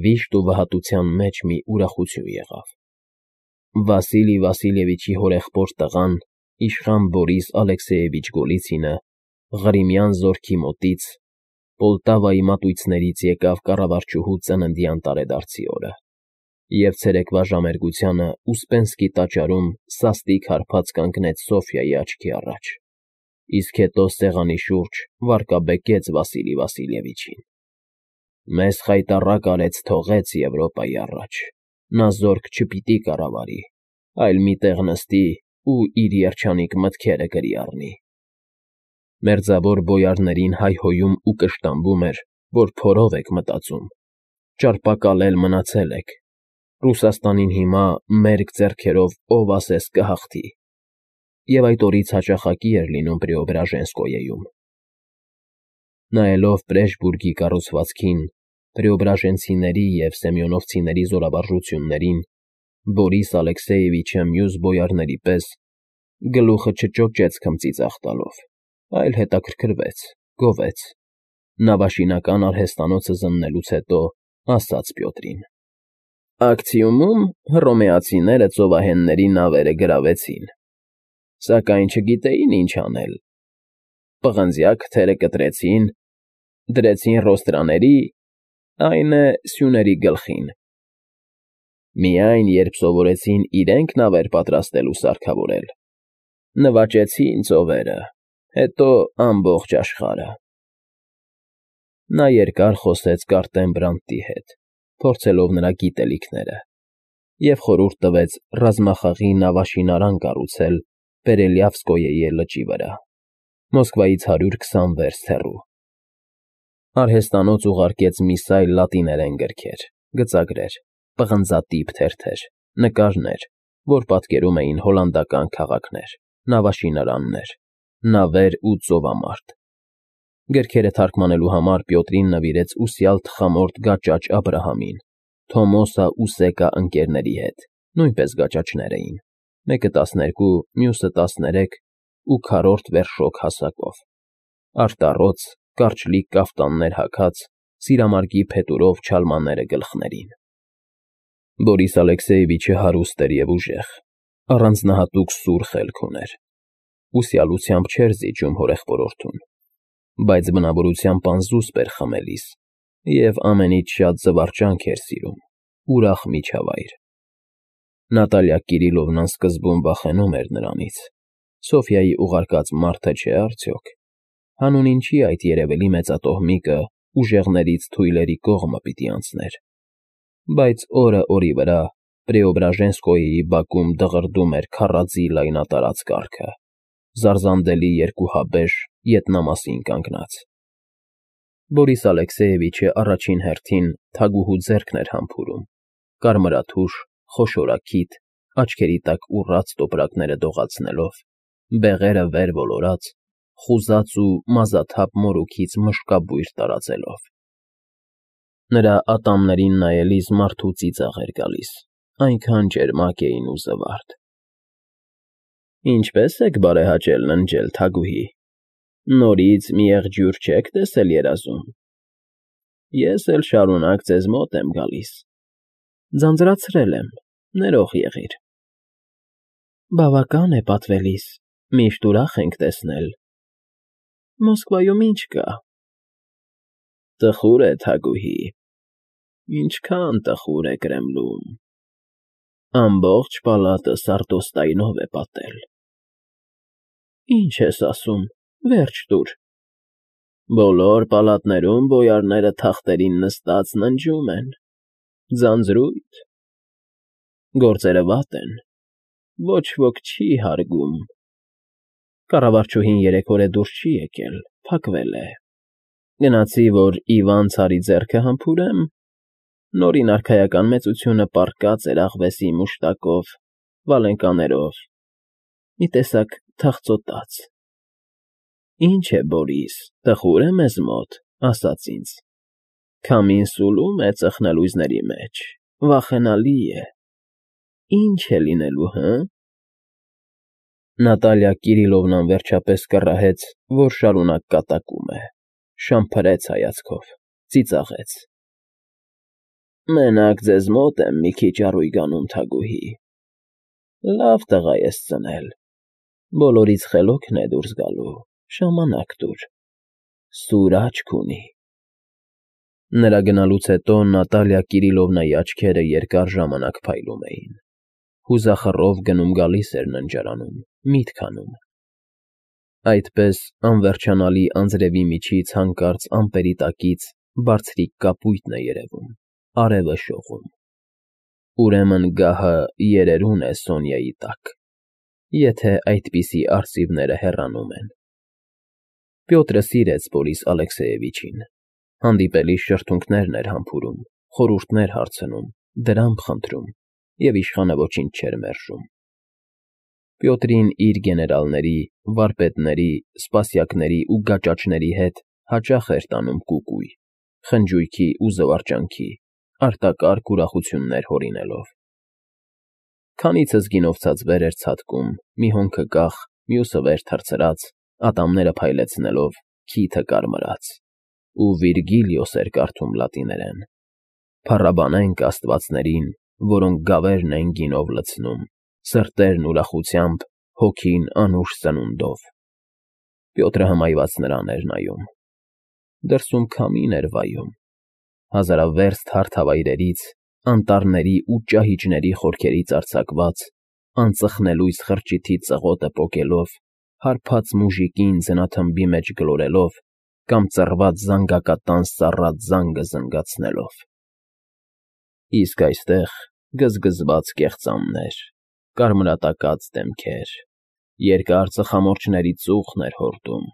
Վիշտ ու վհատության մեջ մի ուրախություն եղավ։ Վասիլի Վասիլևիչի հորեղբոր տղան, իշխան Բորիս Ալեքսեևիչ Գոլիցինը, Ղրիմյան զորքի մոտից, Պոլտավայի մատույցներից եկավ կառավարչուհու ծննդյան տարեդարձի օրը, և ցերեկվա ժամերգությանը Ուսպենսկի տաճարում սաստիկ հարբած կանգնեց Սոֆյայի աչքի առաջ, իսկ հետո սեղանի շուրջ վարկաբեկեց Վասիլի Վասիլևիչին։ Մեզ խայտառակ արեց թողեց Եվրոպայի առաջ, նա զորք չպիտի կառավարի, այլ մի տեղ նստի ու իր երջանիկ մտքերը գրի առնի։ Մերձավոր բոյարներին հայհոյում ու կշտամբում էր, որ փորով եք մտածում, ճարպակալել մնացել եք, Ռուսաստանին հիմա մերկ ձեռքերով ով ասես կհաղթի, և այդ օրից հաճախակի էր լինում Պրեոբրաժենսկոյեում։ Նայելով Պրեժբուրգի կառուցվածքին, պրեոբրաժենցիների և սեմյոնովցիների զորավարժություններին, Բորիս Ալեքսեևիչը մյուս բոյարների պես գլուխը չճոճեց քմծիծաղ տալով, այլ հետաքրքրվեց, գովեց, նավաշինական արհեստանոցը զննելուց հետո ասաց Պյոտրին. Ակցիումում հռոմեացիները ծովահենների նավերը գրավեցին, սակայն չգիտեին ինչ անել, պղնձյա քթերը կտրեցին, դրեցին ռոստրաների, այն է սյուների գլխին։ Միայն երբ սովորեցին իրենք նավեր պատրաստել ու սարքավորել, նվաճեցին ծովերը, հետո ամբողջ աշխարհը։ Նա երկար խոսեց Կարտեն Բրանտի հետ, փորձելով նրա գիտելիքները, և խորհուրդ տվեց ռազմախաղի նավաշինարան կառուցել Պերելյավսկոյեի լճի վրա, Մոսկվայից 120 վերստ հեռու։ Արհեստանոց ուղարկեց մի սայլ լատիներեն գրքեր, գծագրեր, պղնձատիպ թերթեր, նկարներ, որ պատկերում էին հոլանդական քաղաքներ, նավաշինարաններ, նավեր ու ծովամարտ։ Գրքերը թարգմանելու համար Պյոտրին նվիրեց ուսյալ թխամորթ գաճաճ Աբրահամին, Թոմոսա ու Սեկա ընկերների հետ, նույնպես գաճաճներ էին, մեկը 12, մյուսը 13 ու քառորդ վերշոք հասակով, արտառոց, կարճլիկ կաֆտաններ հագած, սիրամարգի փետուրով չալմաները գլխներին։ Բորիս Ալեքսեևիչը հարուստ էր և ուժեղ, առանձնահատուկ սուր խելք ուներ, ուսյալությամբ չէր զիջում հորեղբորորդուն, բայց բնավորությամբ անզուսպ էր խմելիս և ամենից շատ զվարճանք էր սիրում, ուրախ միջավայր։ Նատալիա Կիրիլովնան սկզբում վախենում էր նրանից, Սոֆյայի ուղարկած մարդը չէ արդյոք, հանուն ինչի այդ երևելի մեծատոհմիկը ուժեղներից թույլերի կողմը պիտի անցներ, բայց օրը օրի վրա Պրեոբրաժենսկոյեի բակում դղրդում էր քառաձիգ լայնատարած կառքը, զարզանդելի երկուհաբեշ ետնամասին կանգնած։ Բորիս Ալեքսեևիչը առաջին հերթին թագուհու ձեռքն էր համբուրում, կարմրաթուշ, խոշորագիտ, աչքերի տակ ուռած տոպրակները դողացնելով, բեղերը վեր ոլորած, խուզած ու մազաթափ մորուքից մշկաբույր տարածելով։ Նրա ատամներին նայելիս մարդու ծիծաղ էր գալիս, այնքան ճերմակ էին ու զվարթ։ Ինչպե՞ս եք բարեհաճել ննջել, թագուհի, նորից մի եղջյուր չեք տեսել երազում։ Ես էլ շարունակ ձեզ մոտ եմ գալիս, ձանձրացրել եմ, ներող եղիր։ Բավական է պատվելիս, միշտ ուրախ ենք տեսնել։ Մոսկվայում ինչ կա։ Տխուր է, թագուհի, ինչքան տխուր է Կրեմլում։ Ամբողջ պալատը սարտոստայնով է պատել։ Ինչ ես ասում, վերջ տուր։ Բոլոր պալատներում բոյարները թախտերին նստած ննջում են, ձանձրույթ, գործերը վատ են, ոչ ոք չի հարգում։ Կառավարչուհին 3 օր է դուրս չի եկել, փակվել է։ Գնացի, որ Իվան ցարի ձեռքը համբուրեմ, նորին արքայական մեծությունը պառկած էր աղվեսի մուշտակով, վալենկաներով, մի տեսակ թախծոտած։ Ինչ է, Բորիս, տխուր է մեզ մոտ, ասաց ինձ։ Քամին սուլում է ծխնելույզների մեջ, վախենալի է։ Ինչ է լինելու, հը՞։ Նատալիա Կիրիլովնան վերջապես կռահեց, որ շարունակ կատակում է, շամփրեց հայացքով, ծիծաղեց։ Մենակ ձեզ մոտ եմ մի քիչ առույգանում, Թագուհի, լավ տղա ես ծնել, բոլորից խելոքն է դուրս գալու, ժամանակ տուր, սուր աչք ունի։ Նրա գնալուց հետո Նատալիա Կիրիլովնայի աչքերը երկար ժամանակ փայլում էին, հուզախռով գնում֊գալիս էր ննջարանում, միտք անում։ Այդպես անվերջանալի անձրևի միջից հանկարծ ամպերի տակից բարձրիկ կապույտն է երևում, արևը շողում։ Ուրեմն գահը երերուն է Սոնյայի տակ, եթե այդպիսի արծիվները հեռանում են։ Պյոտրը սիրեց Բորիս Ալեքսեևիչին, հանդիպելիս շրթունքներն էր համբուրում, խորհուրդներ հարցնում, դրամ խնդրում, և իշխանը ոչինչ չէր մերժում։ Պյոտրին իր գեներալների, վարպետների, սպասյակների ու գաճաճների հետ հաճախ էր տանում կուկույ, խնջույքի ու զվարճանքի, արտակարգ ուրախություններ հորինելով։ Քանիցս գինովցած վեր էր ցատկում, մի հոնքը կախ, մյուսը վեր թռցրած, ատամները փայլեցնելով, քիթը կարմրած, ու Վիրգիլիոս էր կարդում լատիներեն. «Փառաբանենք աստվածներին, որոնք գավերն են գինով լցնում, սրտերն ուրախությամբ, հոգին անուշ սնունդով»։ Պյոտրը հմայված նրան էր նայում։ Դրսում քամին էր վայում, հազարավերծ հարթավայրերից, անտառների ու ճահիճների խորքերից արձակված, անծխնելույս խրճիթի ծղոտը պոկելով, հարբած մուժիկին ձնաթմբի մեջ գլորելով կամ ծռված զանգակատան սառած զանգը զնգացնելով։ Իսկ այստեղ գզգզված կեղծամներ, կարմրատակած դեմքեր, երկար ծխամորճների ծուխն էր հորդում,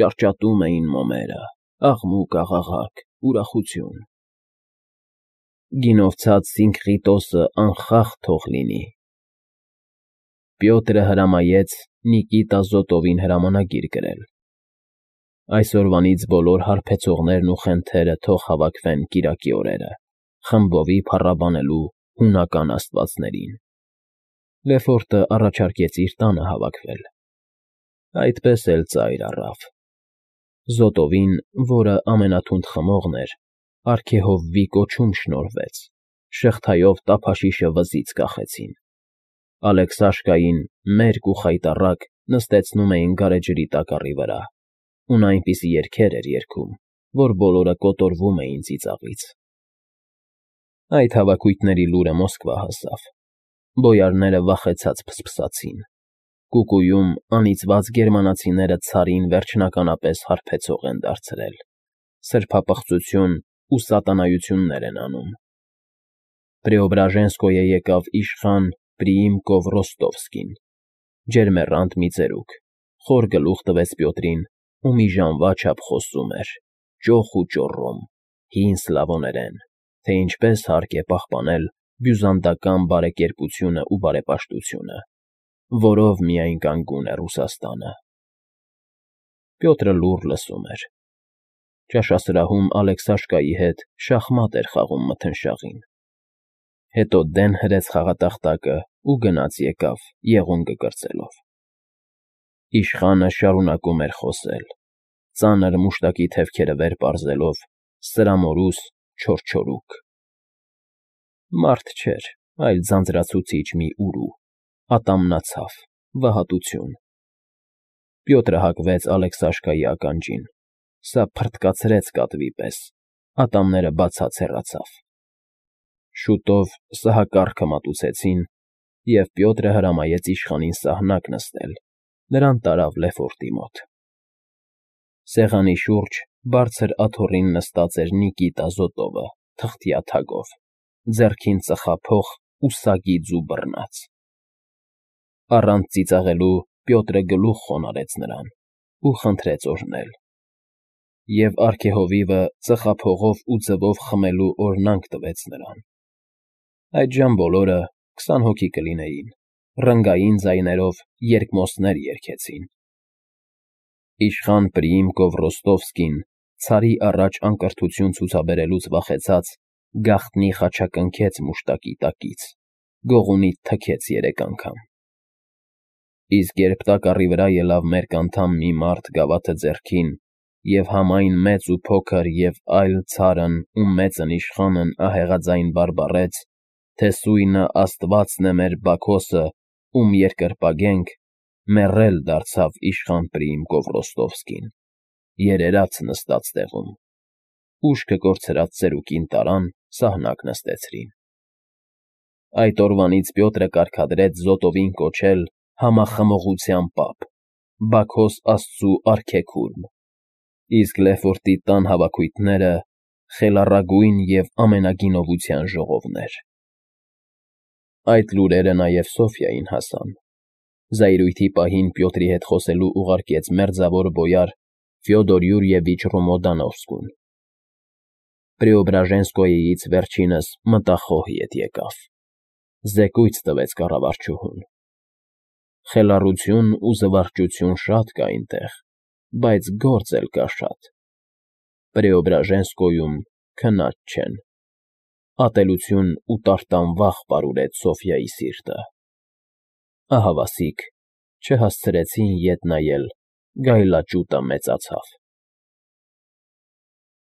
ճարճատում էին մոմերը, աղմուկ֊աղաղակ, ուրախություն։ Գինովցած Սինքղիտոսը անխախտ թող լինի։ Պյոտրը հրամայեց Նիկիտա Զոտովին հրամանագիր գրել։ Այսօրվանից բոլոր հարբեցողներն ու խենթերը թող հավաքվեն կիրակի օրերը, խմբովի փառաբանելու հունական աստվածներին։ Լեֆորտը առաջարկեց իր տանը հավաքվել։ Այդպես էլ ծայր առավ։ Զոտովին, որը ամենաթունդ խմողն էր, արգեհովվի կոչում շնորհվեց, շղթայով տափաշիշը վզից կախեցին։ Ալեքսաշկային մերկ ու խայտառակ նստեցնում էին գարեջրի տակառի վրա, ու նա այնպիսի երգեր էր երգում, որ բոլորը կոտորվում էին ծիծաղից։ Այդ հավաքույթների լուրը Մոսկվա հասավ։ Բոյարները վախեցած փսփսացին։ Կուկուում անիծված գերմանացիները ցարին վերջնականապես հարբեցող են դարձրել, սրբապղծություն ու սատանայություններ են անում։ Պրեոբրաժենսկոյե եկավ իշխան Պրիիմկով Ռոստովսկին, ջերմեռանդ մի ծերուկ, խոր գլուխ տվեց Պյոտրին ու մի ժամվա չափ խոսում էր, ճոխ ու ճոռոմ, հին սլավոներեն, թե ինչպես հարկ է պահպանել բյուզանդական բարեկերպությունն ու բարեպաշտությունը, որով միայն կանգուն է Ռուսաստանը։ Պյոտրը լուռ լսում էր։ Ճաշասրահում Ալեքսաշկայի հետ շախմատ էր խաղում մթնշաղին։ Հետո դեն հրեց խաղատախտակը ու գնաց եկավ, եղունգը կրծելով։ Իշխանը շարունակում էր խոսել, ծանր մուշտակի թևքերը վեր պարզելով, սրամորուս, չորչորուկ։ Մարդ չէր, այլ ձանձրացուցիչ մի ուրու, ատամնացավ, վհատություն։ Պյոտրը հակվեց Ալեքսաշկայի ականջին, սա փռթկացրեց կատվի պես, ատամները բացած հեռացավ։ Շուտով սահակառքը մատուցեցին, և Պյոտրը հրամայեց իշխանին սահնակ նստել, նրան տարավ Լեֆորտի մոտ։ Սեղանի շուրջ բարձր աթոռին նստած էր Նիկիտա Զոտովը թղթյա թագով, ձեռքին ծխափոխ ու սագի ձու բռնած։ Առանց ծիծաղելու Պյոտրը գլուխ խոնարհեց նրան ու խնդրեց օրհնել։ Եվ արգեհովիվը ծխափողով ու ձվով խմելու օրհնանք տվեց նրան։ Այդժամ բոլորը, 20 հոգի կլինեին, ռնգային ձայներով երկմոստներ երգեցին։ Իշխան Պրիիմկով Ռոստովսկին, ցարի առաջ անկրթություն ցուցաբերելուց վախեցած, գաղտնի խաչակնքեց մուշտակի տակից, գողունից թքեց 3 անգամ։ Իսկ երբ տակառի վրա ելավ մերկ անդամ մի մարդ գավաթը ձեռքին և համայն մեծ ու փոքր և այլ ցարն ու մեծն իշխանն ահեղաձայն բարբառեց, թե սույնը Աստվածն է մեր Բաքոսը, ում երկրպագենք, մեռել դարձավ իշխան Պրիամ Կովրոստովսկին, երերաց նստած տեղում, ուշքը կորցրած ծերուկին տարան, սահնակ նստեցրին։ Այդ օրվանից Պյոտրը կարգադրեց Զոտովին կոչել Համախմողության պապ, Բաքոս աստծու արքեքուրմ, իսկ Լեֆորտի տան հավաքույթները խելառագույն և ամենագինովության ժողովներ։ Այդ լուրերը նաև Սոֆիային հասան։ Զայրույթի պահին Պյոտրի հետ խոսելու ուղարկեց մերձավոր բոյար Ֆյոդոր Յուրիևիչ Ռոմոդանովսկուն։ Պրեոբրաժենսկոյից վերջինս մտախոհ ետ եկավ։ Զեկույց տվեց կառավարչուհուն։ Խելառություն ու զվարճություն շատ կա այնտեղ, բայց գործ էլ կա շատ։ Պրեոբրաժենսկոյում քնած չեն։ Ատելություն ու տարտանվախ պարուրեց Սոֆյայի սիրտը։ Ահավասիկ չհասցրեցին ետ նայել, գայլաճուտը մեծացավ։